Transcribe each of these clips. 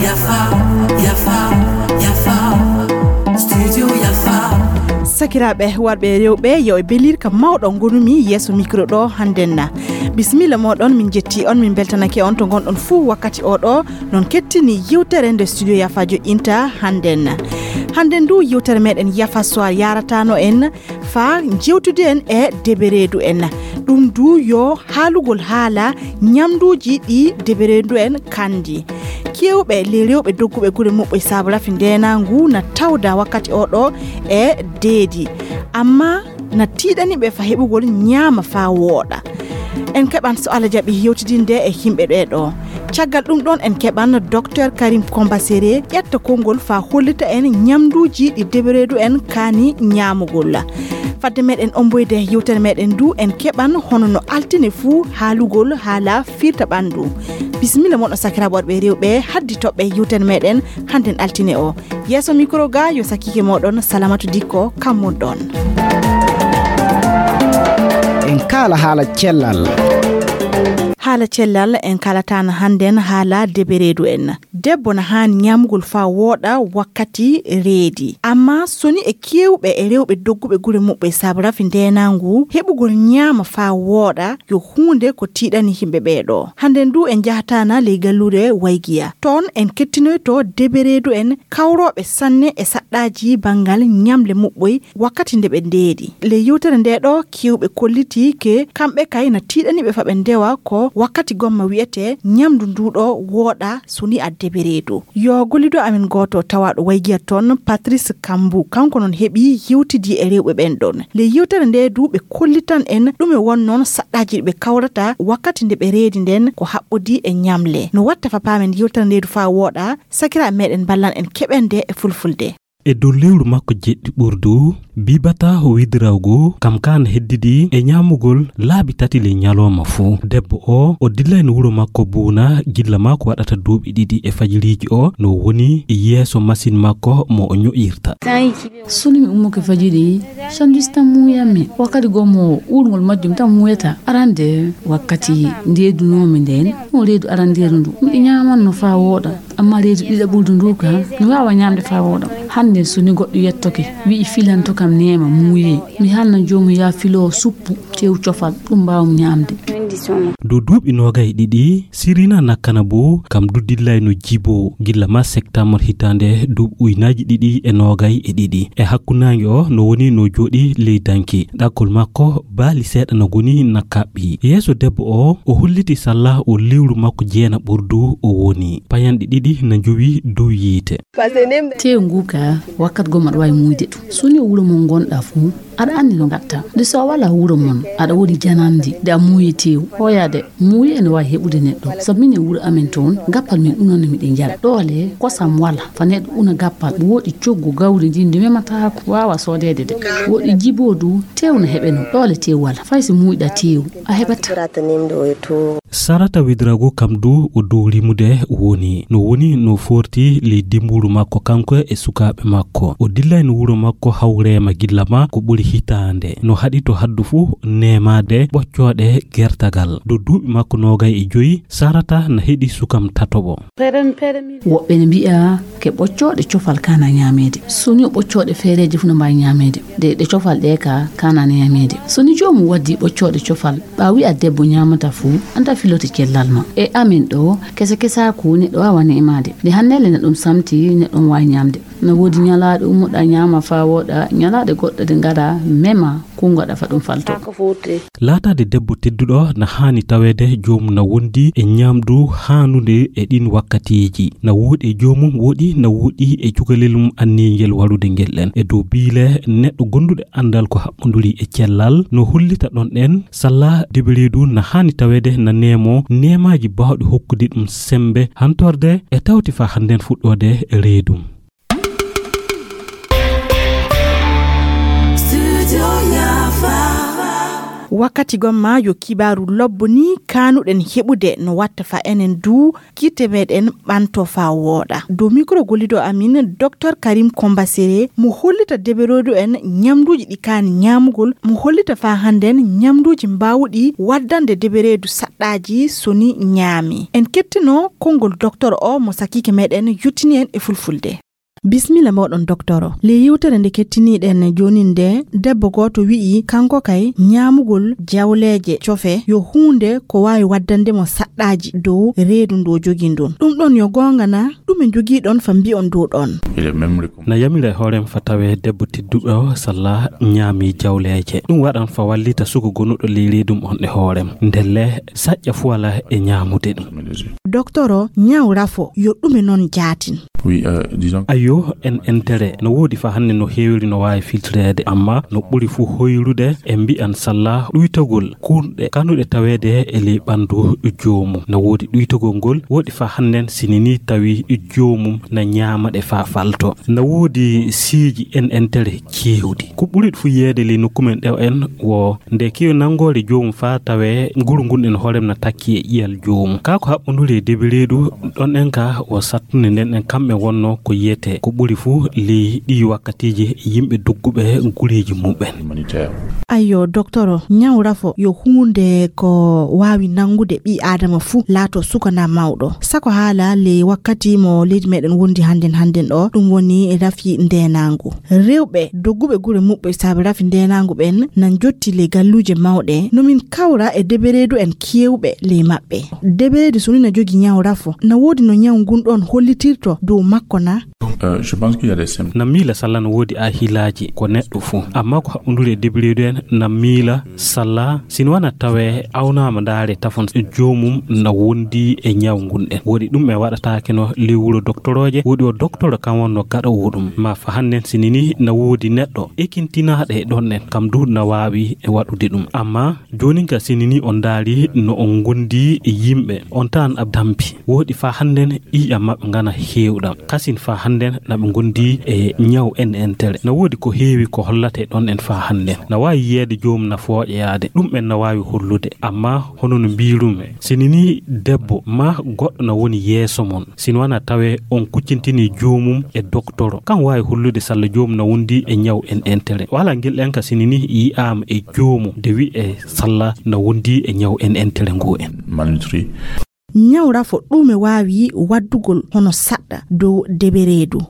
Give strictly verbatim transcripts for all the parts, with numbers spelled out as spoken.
Yafa, yafa, yafa. Studio Yafa. Sakiraaɓe warɓe e rewɓe, yo e belirka mawɗo ngonumi yeeso micro ɗo hannden na. Bisimilla moɗon, min jetti on, min beltanake on to ngonɗon fuu wakkati o ɗo. Non kettini yewtere nde Studio Yafa joƴƴinta hannden na. Hannden du yewtere meɗen Yafa Soir yaratano en faa jewtude en e debereedu en. Ɗum du yo haalugol haala ñamduuji ɗi debereedu en kandi. Keewɓe ley rewɓe dogguɓe gure muɓɓe saabu rafi ndeenaangu na tawda wakkati o ɗo e deedi. Amma na tiiɗani ɓe fa heɓugol ñaama faa wooɗa. En keɓan so Allah jaɓi yewtidinde e yimɓe ɓee ɗo. Caggal ɗum ɗon en keɓan Docteur Karim Kombasere ƴetta konngol faa hollita en ñamduuji ɗi debereedu en kaani ñaamugol. Fadde meɗen omboyde yewtere meɗen du en keɓan hono no altine fuu haalugol haala firta ɓanndu. Bisimilla mon o sakiraaɓe worɓe e rewɓe haddi toɓɓe yewtere meɗen hannden altine o. Yeeso micro ga yo sakiike moɗon Salamatu Dikko kammon ɗon. En kaala haala cellal. Haala cellal en kaalataana hannden haala debereedu en. Debbo na haani ñaamugol faa wooɗa wakkati reedi. Amma soni e keewɓe e rewɓe dogguɓe gure muɓɓe saabu rafi ndeenaangu heɓugol ñaama faa wooɗa yo huunde ko tiiɗani yimɓe ɓee ɗo. Hannden du en njahataana ley galluure Waygiya. Toon en kettinoyto debereedu en kawrooɓe sanne e saɗɗaaji banngal ñamle muɓɓoy wakkati nde ɓe ndeeɗi. Ley yewtere ndee ɗo keewɓe kollitii ke kamɓe kay na tiiɗani ɓe fa ɓe ndewa ko wakkati gomma wi'etee ñamdu nduu ɗo wooɗa soni a debereedu. Yo gollido amin gooto tawaaɗo Waygiya toon, Patrice Kambu, kanko noon heɓi yewtidi e rewɓe ɓen ɗon. Ley yewtere ndee du ɓe kollitan en ɗume won noon saɗɗaaji ɗi ɓe kawrata wakkati nde ɓe reedi nden ko haɓɓodi e ñamle. No watta fa paamen yewtere ndee du faa wooɗa, sakiraaɓe meɗen mballan en keɓende e fulfulde. E dow lewru makko jeɗɗi ɓurdu, Bibata Widrawgu kam kaan heddidi e ñaamugol laabi tati ley ñalooma fuu. Debbo o, o dillayno wuro makko Buuna gilla maa ko waɗata duuɓi ɗiɗi e fajiriiji o, no woni yeeso masin makko mo o ño'irta. Soni mi ummuke fajiri, sandwich tan muuyammi. Wakkati goo mo uurngol majjum tan muuyata. Arande wakkati ndeedunoomi ndeen, o reedu arandeeru ndu miɗo ñaamanno faa wooɗa. Amma reedu ɗiɗaɓuldu ndu ka mi waawa ñaamde faa wooɗa. Hannde so ni goɗɗo yettoke, wi'i filanto kam neema muuyee, mi haalna joomum yaa filoo suppu, tew cofal, ɗum mbaawum ñaamde. Dow duuɓi noogay e ɗiɗi, Sirina Nakana bo kam du dillayno jibo gilla ma septembre hitaande duuɓi uynaaji ɗiɗi e noogay e ɗiɗi. E hakkunnaange o no woni no jooɗi ley danki. Ɗakkol makko baali seeɗa no goni na kaɓɓi. Yeeso debbo o, o holliti salla o lewru makko jeena ɓurdu o woni. Payanɗe ɗiɗi na njowi dow yiite. Tew ngu ka wakkat goo maɗa waawi muuyde ɗum. So ni wuro mo ngonɗa fuu, aɗa anndi no ngatta. De so a wala wuro mon, aɗa woni janandi, de a muuyi tew. Hoyade, muuyi ene waawi heɓude neɗɗo. Sabu min e wuro amen toon, gappal min ɗum noon miɗen njara. Ɗoole, kosam wala. Fa neɗɗo una gappal, woɗi coggu gawri ndi ndi memataako, waawa soodeede de. Woɗi jibo du, tew na heɓe no. Ɗoole tew wala. Fay si muuyɗa tew, a heɓata. Sarata Widrago kam du o dow rimude woni. No woni no forti ley dimburu makko kanko e sukaaɓe makko. O dillayno wuro makko hawreema gilla ma ko ɓuri hitaande. No haɗi to haddu fuu neemaade ɓoccooɗe gertagal. Dow duuɓi makko noogay e joyi, Sarata na heɗi sukam tatoɓo. Woɓɓe ne mbi'a ke ɓoccooɗe cofal kana ñaameede. So ni o ɓoccooɗe feereeje fuu no mbaawi ñaameede. De ɗe cofal ɗe ka kana ñaameede. So ni joomum waddi ɓoccooɗe cofal, ɓa wi'a debbo ñaamata fuu, anta filote cellal ma. E amen ɗo, kese kesaaku neɗɗo waawa neemaade. De hannde le na ɗum samti neɗɗo waawi ñaamde. Na woodi ñalaaɗe ummoɗa ñaama faa wooɗa, ñalaaɗe goɗɗe ɗe ngara mema, kunngoɗa fa ɗum falto. Laataade debbo tedduɗo na haani taweede joomum na wondi e ñaamdu haanunde e ɗin wakkatiiji. Na wooɗi e joomum, wooɗi na wooɗi e cukalel mum anniingel waɗude ngel ɗen. E dow biile neɗɗo gonduɗo anndal ko haɓɓonduri e cellal, no hollita ɗon ɗen, salla debereedu na haani taweede na neemo neemaaji baawɗi hokkude ɗum semmbe hantorde e tawti faa hannden fuɗɗoode reedum. Studio Yafa. Wakkati gomma yo kibaaru lobbo ni kaanuɗen heɓude no watta fa enen du kitte meɗen ɓanto fa wooɗa. Dow mikro gollido amin, Dr Karim Kombasere, mo hollita debereedu en ñamduuji ɗi kaani ñaamugol, mo hollita fa hannden ñamduuji mbaawuɗi waddande debereedu saɗɗaaji so ni ñaami. En kettino konngol docteur o mo sakiike meɗen yottini en e fulfulde. Bismilla moɗon docteur o. Le yewtere nde kettiniɗen jonin nde, debbo gooto wi'i kanko kay ñaamugol jawleeje cofe yo huunde ko waawi waddande mo saɗɗaaji dow reedu ndu o jogii ndun. Ɗum ɗon yo goonga na? Ɗume njogiɗon fa mbi'on dow ɗon? Na yamira e hoorem fa tawe debbo tedduɗo o salla ñaami jawleeje. Ɗum waɗan fa wallita suko gonuɗo ley reedum on e hoorem. Ndelle saƴƴa fu wala e ñaamude ɗum. Docteur o, ñaw rafo yo ɗume non jaatin? Ayyo, en entere no woodi fa hannde no heewiri no waawi filtreede, amma no ɓuri fu hoyrude e mbi'an salla ɗuytagol kurɗe kanuɗe taweede e ley ɓanndu joomum. No woodi ɗuytagol ngol woodi fa hannden sini ni tawi joomum na ñaama ɗe fa falto. No woodi siiji en entere keewɗi. Ko ɓuri fu yeede ley nokku men ɗo en wo nde kewi nanngoore joomum fa tawe nguru ngun en hoorem na takki e ƴiyal joomum. Kaa ko haɓɓunduri e debireedu ɗon en ka wo sattunde nden en kamɓe wonno ko yiyete ko ɓuri fu ley ɗi wakkatiiji yimɓe dogguɓe gureeji muɓɓen. Ayyo, docteur o, ñaw rafo yo huunde ko waawi nanngude ɓii aadama fuu, laato suka na mawɗo. Sako haala ley wakkati mo leydi meɗen wondi hannden hannden ɗo, ɗum woni rafi ndeenaangu. Rewɓe dogguɓe gure muɓɓe saabe rafi ndeenaangu ɓen na njotti ley galluuje mawɗe. No min kawra e debereedu en keewɓe ley maɓɓe. Debereedu so ni na jogii ñaw rafo, na woodi no ñaw ngun ɗon hollitirto dow makko na? Na miila salla no woodi ahilaaji ko neɗɗo fuu, amma ko haɓɓunduri e debireedu en na miila salla, si no wana tawe awnaama ndaare tafon joomum na wondi e ñaw ngun ɗen. Woodi ɗum e waɗataake no ley wuro doktorooje, woodi o doktoro kan wonno gaɗoowo ɗum. Ma fa hannden sini ni na woodi neɗɗo ekintinaaɗo e ɗon ɗen, kam du na waawi e waɗude ɗum. Amma joonin ka sini ni on ndaari no on ngondi e yimɓe, on taan a dampi. Woodi fa hannden ƴiiƴam maɓɓe ngana heewɗam. Kasin fa hannden na ɓe ngondi e ñaw en entere. Na woodi ko heewi ko hollate ɗon en fa hannden. Na waawi yiyeede joomum na fooƴoyaade. Ɗum en na waawi hollude. Amma hono no mbiirumi, sini ni debbo ma goɗɗo na woni yeeso mon, sini wana tawe on kuccintini joomum e doktoro, kan waawi hollude salla joomum na wondi e ñaw en entere. Wala ngel en ka sini ni yi'aama e joomum de wi'e salla na wondi e ñaw en entere ngu en. Ñaw rafo ɗume waawi waddugol hono saɗɗa dow debereedu?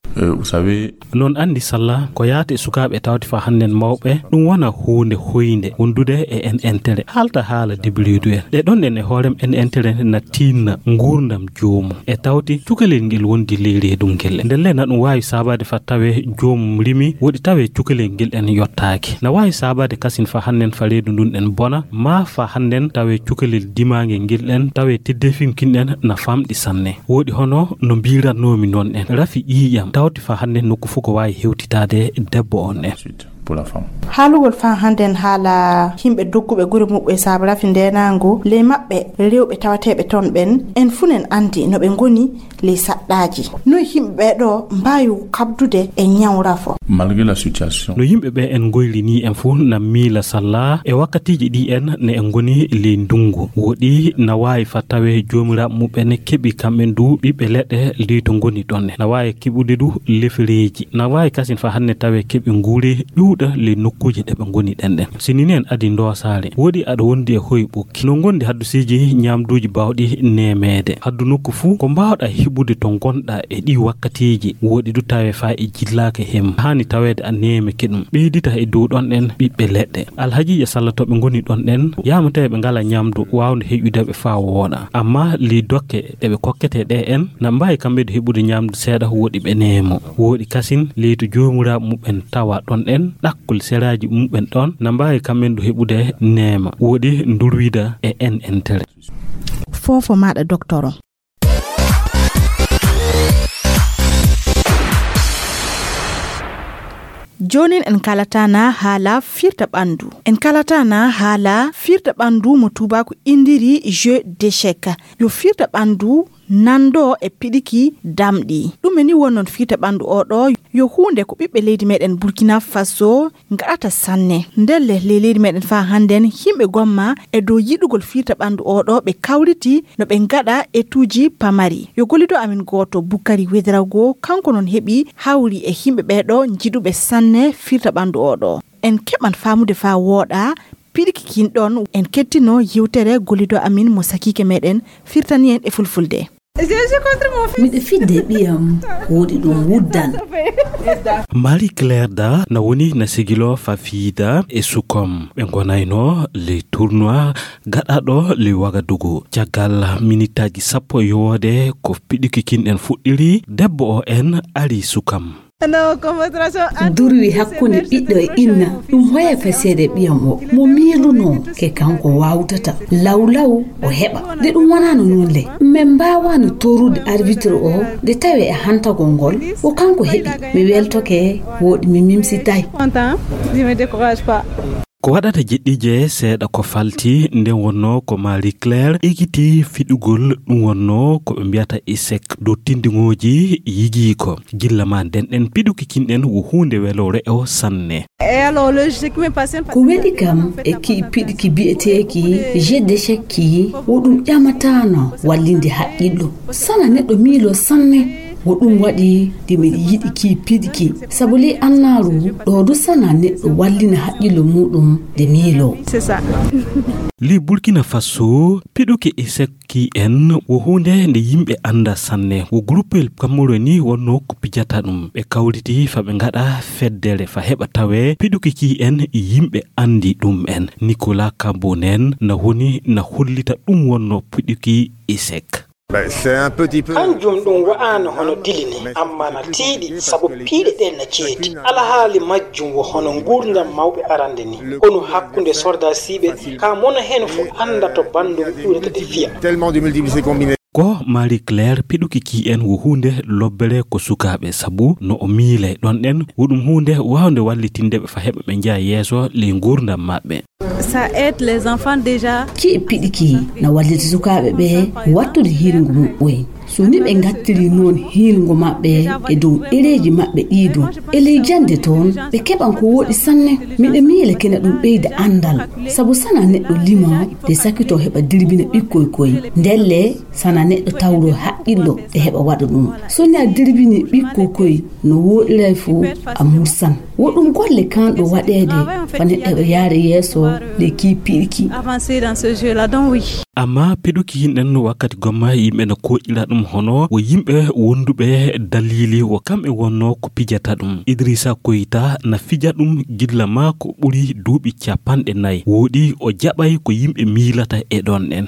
Non anndi salla ko yaata e sukaaɓe tawde fa hannden mawɓe, ɗum wona huunde hoynde wondude e en entere. Haalta haala debereedu en. Ɗe ɗon ɗen e hoorem en entere na tiinna nguurndam joomum. E tawti cukalel ngel wondi ley reedum ngel. Ndelle na ɗum waawi saabaade fa tawe joomum rimi, woɗi tawe cukalel ngel en yottaaki. Na waawi saabaade kasin fa hannden fa reedu ndun en bona, ma fa hannden tawe cukalel dimaangel ngel en, tawe teddefinkin en na famɗi sanne. Woɗi hono no mbiirannoomi non en. Rafi ƴiiƴam, tawti fa hannden nokku fof ko waawi hewtitaade debbo on en. Haalugol fa hannden haala yimɓe dogguɓe gure muɓɓe saabe rafi ndeenaangu, ley maɓɓe rewɓe tawateeɓe ton ɓen, en fuu nen anndi no ɓe ngoni ley saɗɗaaji. Noy yimɓe ɓee ɗoo mbaawi kaɓdude e ñaw rafo? Malgré la situation. No yimɓe ɓee en ngoyri nii en fuu na miila salla e wakkatiiji ɗi en ne en ngoni ley ndunngu. Woɗi na waawi fa tawe joomiraaɓe muɓɓen keɓi kamɓen du ɓiɓɓe leɗɗe ley to ngoni ɗon. Na waawi keɓude du lefereeji. Na waawi kasin fa hannden tawe keɓi nguure ƴuuɗa ley nokkuuje ɗe ɓe ngoni ɗen ɗen. Sini ni en adi ndoosaare. Woɗi aɗa wondi e hoy ɓukki. No ngondi haddusiiji ñaamduuji baawɗi neemeede. Haddu nokku fuu ko mbaawɗa heɓude to ngonɗa e ɗii wakkatiiji. Woɗi du tawe fa e jillaaka hem. Haani taweede a neemeke ɗum. Ɓeydita e dow ɗon ɗen ɓiɓɓe leɗɗe. Alhajiiɓe salla to ɓe ngoni ɗon ɗen, yaama tawi ɓe ngala ñaamdu waawndu heƴude ɓe faa wooɗa. Amma ley dokke ɗe ɓe kokketee ɗe en, na mbaawi kamɓe du heɓude ñaamdu seeɗa woɗi ɓe neemo. Woɗi kasin ley to joomiraaɓe muɓɓen tawa ɗon ɗen, ɗakkol seraaji muɓɓen ɗon, na mbaawi kamɓe du heɓude neema. Woɗi ndurwida e en entere. Foofo maaɗa, doktoro. Joonin en kalataana haala firta ɓanndu. En kalataana haala firta ɓanndu mo tuubaaku inndiri jeu d'échec. Yo firta ɓanndu nanndo e piɗiki damɗi. Ɗum e ni won noon firta ɓanndu oo ɗoo yo huunde ko ɓiɓɓe leydi meɗen Burkina Faso ngaɗata sanne. Ndelle ley leydi meɗen faa hannden yimɓe gomma e dow yiɗugol firta ɓanndu oo ɗoo ɓe kawriti no ɓe ngaɗa etuuji pamari. Yo gollido amin gooto Bukari Wedirago kanko noon heɓi hawri e yimɓe ɓee ɗoo njiɗuɓe sanne firta ɓanndu oo ɗoo. En keɓan faamude faa wooɗa piɗiki kin ɗoon en kettino yewtere gollido amin mo sakiike meɗen firtani en e fulfulde. Miɗo fidde ɓiyam woɗi ɗum wuddan. Marie Claire Da na woni na sigilo Fafida e Sukom. Ɓe ngonayno le tournoi gaɗaɗo le Wagadugu. Caggal minitaji sappo yowode ko piɗiki kin ɗen fuɗɗiri, debbo o en ari Sukam. Durwi hakkunde ɓiɗɗo e inna ɗum hoya faseede ɓiyam o mo miilunoo ke kanko waawtata lawlaw o heɓa. Nde ɗum wonaano noon le, min mbaawaano toorude arbitre o nde tawee e hantagol ngol ko kanko heɓi. Mi weltoke, wooɗi mi mimsitay. Ko waɗata jeɗɗiije seeɗa ko falti nden wonnoo ko Marie Claire ekiti fiɗugol ɗum wonnoo ko ɓe mbiyata isek dow tindiŋooji yigiiko. Gilla ma nden ɗen piɗuki kinɗen wo huunde welo re'o sanne. Ko weli kam e kii piɗki biyeteeki jeu d'échec kii wo ɗum ƴamataano wallinde haqqillo. Sana neɗɗo miilo sanne. Ko ɗum waɗi nde miɗo yiɗi kii piɗki sabu ley annaaru ɗoo du sana neɗɗo wallina haqqillo muuɗum nde miiloo. Li Burkina Faso piɗuki isek kii en wo huunde nde yimɓe annda sanne. Wo groupe Cameroun ni wonnoo ko pijata ɗum. Ɓe kawriti fa ɓe ngaɗa feddere fa heɓa tawee piɗuki kii en yimɓe anndi ɗum en. Nicolas Kambo nen na woni na hollita ɗum wonnoo piɗuki isek. Kanjum ɗum wa'aano hono dili ni, ammaa na tiiɗi sabu piiɗe ɗeen na ceeti. Alhaali majjum wo hono nguurndam mawɓe arande ni, konu hakkunde sordaasiiɓe, kaa mono heen fof annda to banndum ƴuurata de fiya. Ko Marie Claire piɗuki kii en wo huunde lobbere ko sukaaɓe sabu no o miile ɗon ɗen wo ɗum huunde waawnde wallitinde ɓe fa heɓa ɓe njeya yeeso ley nguurndam maɓɓe. Kii piɗiki na wallita sukaaɓe ɓe wattude hiirngu muɓɓoy. So ni ɓe ngattiri noon hiirngu maɓɓe e dow ɗereeji maɓɓe ɗii du e ley jannde toon ɓe keɓan ko wooɗi sanne. Miɗo miila kena ɗum ɓeyda anndal sabu sana neɗɗo lima de sakito heɓa dirbina ɓikkoy koy ndelle sana neɗɗo tawro haqqillo e heɓa waɗa ɗum. So ni a dirbini ɓikkoy koy no wooɗiray fof a mursan. Wo ɗum golle kanɗo waɗeede fa neɗɗo heɓa yaare yeeso ley kii piɗki. Amma piɗuki hinɗen wakkati gomma yimɓe no koƴira ɗum hono wo yimɓe wonduɓe dalili wo kamɓe wonno ko pijata ɗum. Idrissa Koyta na fija ɗum gilla maa ko ɓuri duuɓi capanɗe nayi wooɗi o jaɓay ko yimɓe miilata e ɗon ɗen.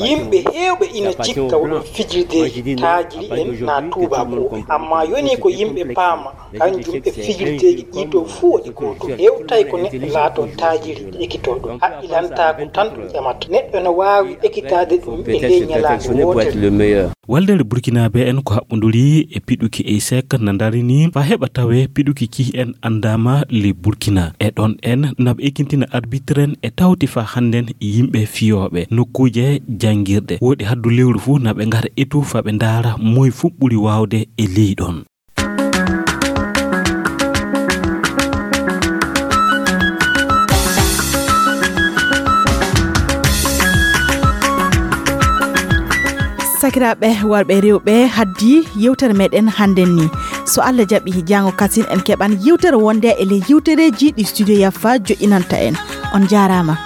Yimɓe heewɓe ina cikka wo ɗum fijirdeeji taajiri en na tuubaakuuɓe, ammaa yoni ko yimɓe paama kanjum e fijirdeeji ɗii ɗoo fuu waɗi gootum. Hewtay ko neɗɗo laatoo taajiri ekitoo ɗum, haqqilantaaku tan ɗum ƴamata. Neɗɗo no waawi ekitaade ɗum e ley ñalaande wootere. Waldere Burkinaaɓe en ko haɓɓonduri e piɗuki eysek na ndarini fa heɓa tawe piɗuki kii en anndaama ley Burkina. E ɗon en na ɓe ekintina arbitre en e tawti fa hannden yimɓe fiyooɓe nokkuuje janngirɗe. Wooɗi haddu lewru fuu na ɓe ngara etu fa ɓe ndaara moy fuu ɓuri waawde e ley ɗon. Sakiraaɓe worɓe e rewɓe, haddi yewtere meɗen hannden ni. So Allah jaɓi, jaango kasin en keɓan yewtere wonde e ley yewtereeji ɗi Studio Yaffa joƴƴinanta en. On jaaraama.